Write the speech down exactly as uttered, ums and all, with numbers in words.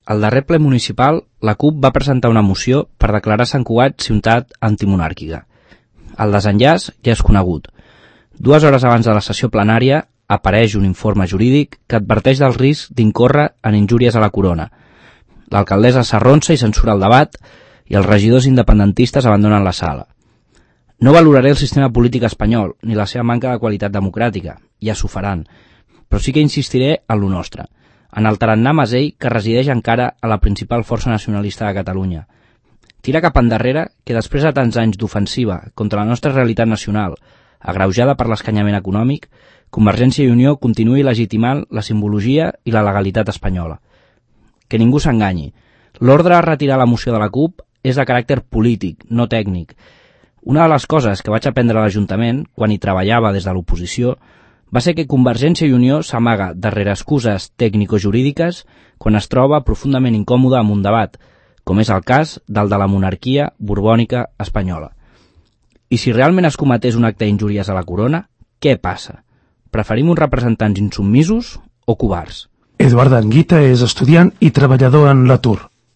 Al darrer ple municipal, la CUP va presentar una moció per declarar Sant Cugat ciutat antimonàrquica. El desenllaç ja és conegut. Dues hores abans de la sessió plenària apareix un informe jurídic que adverteix del risc d'incórrer en injúries a la corona. L'alcaldessa s'arronsa i censura el debat i els regidors independentistes abandonen la sala. No valoraré el sistema polític espanyol ni la seva manca de qualitat democràtica, ja s'ho faran, però sí que insistiré en lo nostre, en el tarannà masell que resideix encara a la principal força nacionalista de Catalunya. Tira cap endarrere que després de tants anys d'ofensiva contra la nostra realitat nacional, agreujada per l'escanyament econòmic, Convergència i Unió continuï legitimant la simbologia i la legalitat espanyola. Que ningú s'enganyi. L'ordre a retirar la moció de la CUP és de caràcter polític, no tècnic. Una de les coses que vaig aprendre a l'Ajuntament, quan hi treballava des de l'oposició, va ser que Convergència i Unió s'amaga darrere excuses tècnico-jurídiques quan es troba profundament incòmode amb un debat, com és el cas del de la monarquia borbònica espanyola. I si realment es cometés un acte d'injúries a la corona, què passa? Preferim uns representants insubmisos o covards? Eduard Anguita és estudiant i treballador en l'atur.